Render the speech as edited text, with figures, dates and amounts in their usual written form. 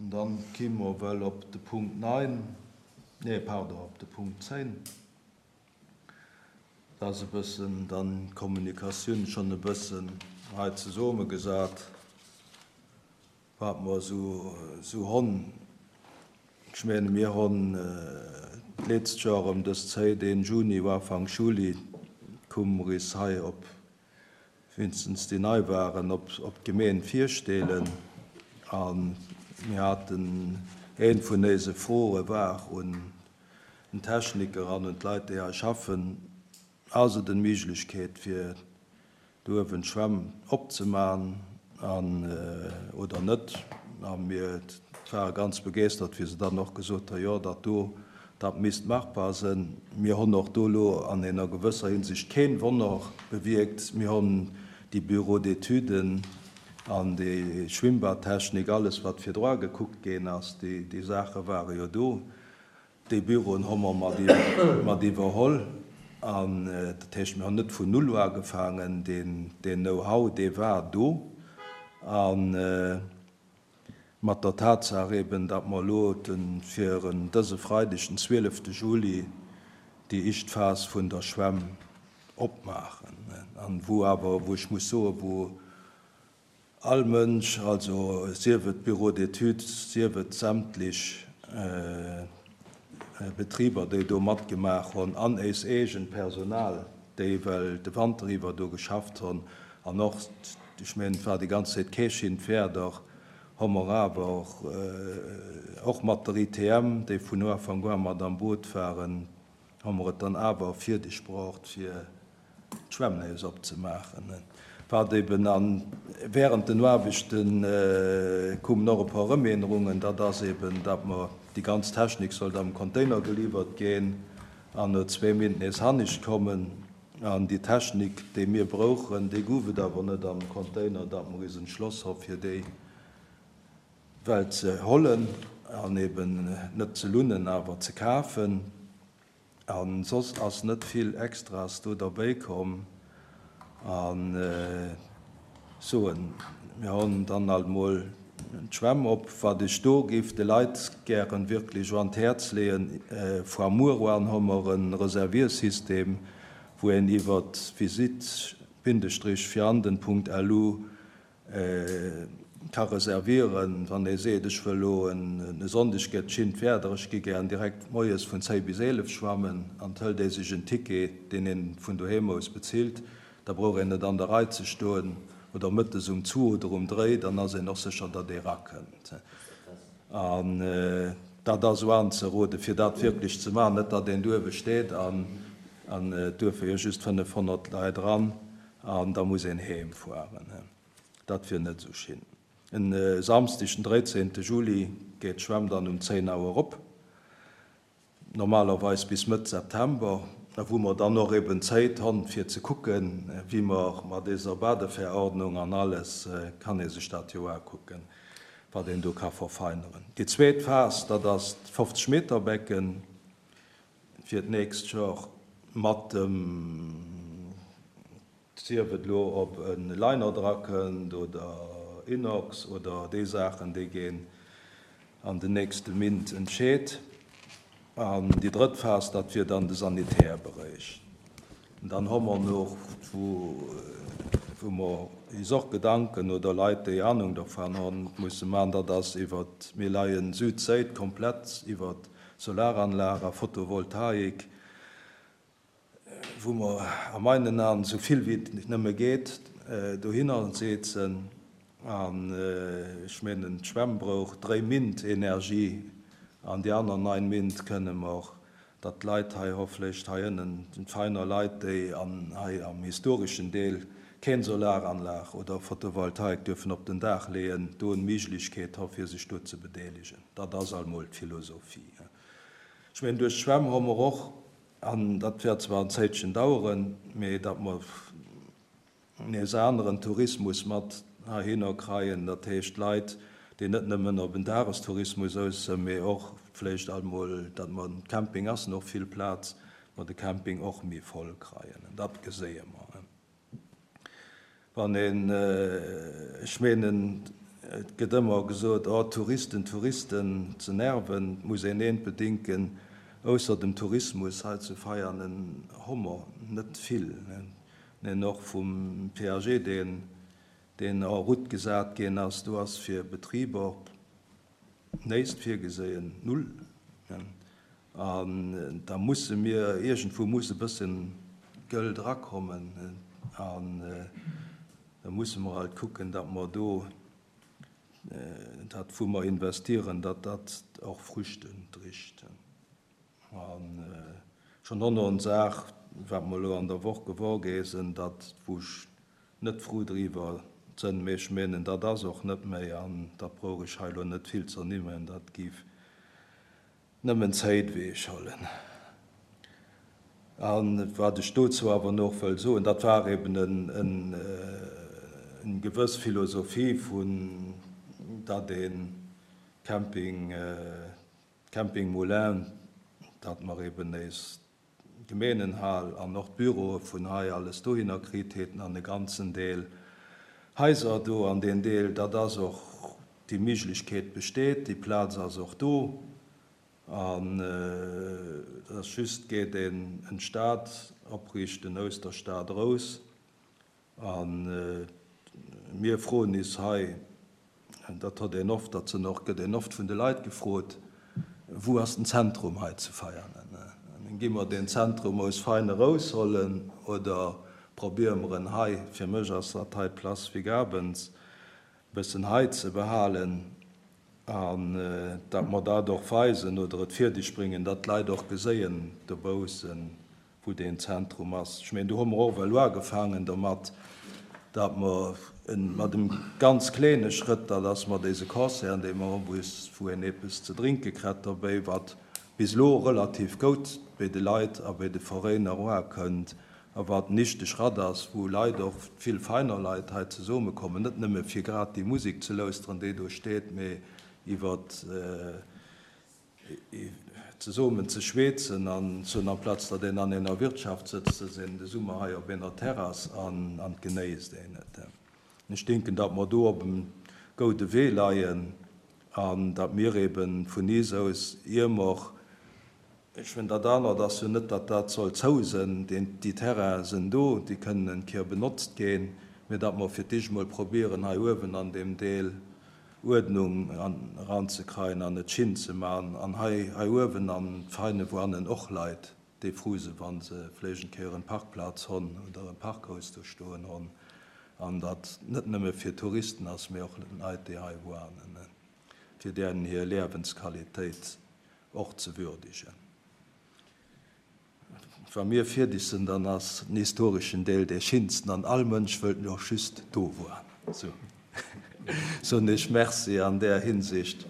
An dann ki mer well op de Punkt 9, nee, pardon, op de Punkt 10. Dat ass e bëssen dann d'Kommunikatioun schonn e bëssen hei zesummegesat, wat mer esou honn. Ech menge mir honn d'letzcht Joer ëm dës Zéit, een Juni, Ufank Juli, kumm mer is hei op wéinstens déi nei waren, op d'Gemeen virstelen. A mir haten, eent vun éise Froe war un den Techniker an un d'Leit, déi hei schaffen, Ass et en Méiglechkeet, fir do uewen d'Schwämm opzeman an oder net? A mir ware ganz begeestert, wéi se dann och gesot hu, jo, dat do, Dat misst machbar sënn. Mir honn och do elo an ener gewësser Hinsicht keen Wonner bewierkt. Mir honn déi Bureaux d'étuden an déi Schwimmbadtechnik, alles wat virdru agekuckt ginn ass, déi Saache ware jo do. Déi Büroen hu mer mat iwwerholl. An dat heescht, mir hunn net vun null ugefaangen. Deen Know-how, dee war do. A mat der Tatsaach eben, datt mer elo fir dëse Freideg, den 12 Juli, déi éischt Phas vun der Schwämm opmaachen, an wou awer, wou ech muss soen, wou all Mënsch, also sief et d'Bureaux d'études, sief et sämtlech Betriber, déi do matgemaach hunn, an éis eegent Personal, déi well de Wanter iwwer do geschafft hunn, an och, ech mengen, et war déi ganz Zäit kee Schindwerder, hu mer awer och mat der ITM, déi vun Ufank u mat am Boot waren, hu mer et dann awer fierdeg braucht, fir d'Schwämm nees opzemaachen. Wat eben an während den Aarbechte koumen och e puer Ëmännerungen, dat ass eben, datt mer déi ganz Technik sollt am Container geliwwert ginn an no zwee Méint nees hannescht kommen. An déi Technik, déi mir brouchen, déi gouf et awer net am Container, datt mer is entschloss hu fir déi well ze hollen an eben net ze lunnen, awer ze kafen. A soss ass net vill Extras do derbéi komm. A soen, mir honn dann alt mol d'Schwämm op. Wat ech do géif de Leit gären wierklech un d'Häerz leeën, Foar muer an hu mer e Reserviersystem, wou een iwwert visite-vianden.lu ka reservieren, wann ee seet, ech wëll elo e Sonndeg gëtt schinnt Wäerder, ech gi gären direkt moies vun 10 bis 11 schwammen, an et hëlt ee sech en Ticket, deen ee vun doheem aus bezilt, da brauch een net an der Rei ze stoen, oder mëttes um zwu oder um dréi, dann ass een och sécher, datt ee rakënnt. An dat ass esou anzeroden, fir dat wierklech ze maachen, net datt een do uewe steet an et duerfe jo just 500 Leit eran, An da muss een heem fueren. Dat wier net esou schin. En Samsdeg den 13 Juli geet d'Schwämm dann um 10 Auer op, normalerweis bis Mëtt September, wou mer dann och eben Zéit honn fir ze kucken, wéi mer mat deser Badeverordnung an alles, kann ee sech dat jo akucken, wat een do ka verfeineren. Déi zweet Phas, dat ass d'Fofzeg Meter Becken. fir d'nächst Joer mat dem, sief et elo ob e Liner drakënnt oder Inox oder déi Saachen, déi ginn an den nächste Mint entscheet. An déi drëtt Phas, dat wier dann de Sanitärberéich. Dann hu mer nach, wou mer is och Gedanken, oder Leit, déi Ahnung dervan hunn, musse maachen, dat ass iwwert, mir leien Südséit komplett iwwert Solaranlag a Photovoltaik, wou mer a meinen Aen esou vill wéi et nëmme geet dohinner seezen. An ech mengen, d'Schwämm brouch dréi Mint Energie an déi aner nein Mint kënne mer, datt d'Leit hei hofflech hei ënnen, d'Veiner Leit, déi an hei am historeschen Deel keen Solaranlag oder Photovoltaik duerfen op den Daach leeën, do en Méiglechkeet hu fir sech do ze bedeelegen. Dat ass almol d'Philosophie. Ech mengen, duerch d'Schwämm hu mer och, an dat wäert zwar en Zéitchen daueren, mee datt mer nees aneren Tourismus mat heihinner kreien, dat heescht Leit, déi net nëmmen op en Dagestourismus aus sënn, mee och vléicht almol, datt mer, den Camping ass och vill Plaz, mer de Camping och méi voll kreien. Dat geséie mer. Wann een, ech menen. Et gëtt ëmmer gesot, oh Touristen, Touristen, ze nerven. Et muss een eent bedinken, Ausser dem Tourismus hei zu Veianen hu mer net vill. Neen, och vum PAG, deen deen en route gesat ginn ass, do ass fir Betriber näisst virgeséien, null. An da musse mir, iergendwou muss e bësse Gëld erakommen an da musse mer halt kucken, datt mer do dat, wou mer investieren, datt dat och Früchte dricht. A schonn och nach en Saach, wat mer elo an der Woch gewor gi sinn, datt, wou ech net frou driwwer sënn, mee ech menen, dat ass och net méi, an dat brauch ech hei elo net vill ze ernimmen, dat géif nëmmen Zäit ewechhollen. A wat ech dozou awer nach wëll soen, dat war eben eng gewëss Philosophie vun, datt ee Camping, Camping Moulin, datt mer eben nees d'Gemeenenhal an och d'Büroe vun hei alles dohinner kritt hätten an e ganzen Deel Haiser do an deen Deel, datt ass och, déi Miglechkeet besteet, déi Plaz ass och do an et ass just geet een en Stad opriichten aus der Stad erous. A mir froen is hei, dat hott een oft, dat sinn och, gëtt een oft vun de Leit gefrot, Wou ass den Zentrum hei zu Veianen? Gi mer deen Zentrum aus Vein eraushollen oder probiere mer en hei, fir mech ass dat hei d'Place Vigabens, e bëssen hei ze behalen an datt mer dat och weisen oder et fierdeg bréngen, datt d'Leit och geséien dobaussen, wou deen Zentrum ass. Ech mengen, do hu mer och ewell uagefaangen domat, datt mer mat em ganz kleene Schrëtt, dat ass mat éise Concerten, déi mer hunn, wou een eppes ze drénke kritt dobäi, wat bis elo relativ goud bei de Leit a bei de Veräiner uakënnt a wat en nichteg Schratt ass, wou Leit, och vill feiner Leit hei zesummekommen, net nëmme fir grad déi Musek ze lauschteren, déi do steet, mee iwwer Zesummen ze schweetzen an soen, amplaz datt een an ener Wirtschaft sëtzt, sëtzt een de Summer hei op ener Terrass an an genéisst een et. Ech denken, datt mer do op em goude Wee leien an datt mir eben vun iis aus, ier mer, ech mengen dat anert ass jo net, datt dat soll zou sënn, déi Terrainen sënn do, déi kënnen en Kéier benotzt ginn, mä datt mer fir d'éischt emol probieren hei uewen an deem Deel Uerdnung eranzekreien an et schin ze man an hei hei uewen an d'Feine woanen och Leit déi fru se wann se vléicht en Kéier en Parkplaz honn oder en Parkhaus do stoen honn an dat net nëmme fir Touristen ass mee och Leit déi hei woanen fir deren hir Liäwensqualitéit och ze würdigen. Wa mir fierdeg sinn, dann ass den historeschen Deel dee schinsten an all Mënsch wëllt och just do woanen. Sou soen ech Merci an där Hinsicht.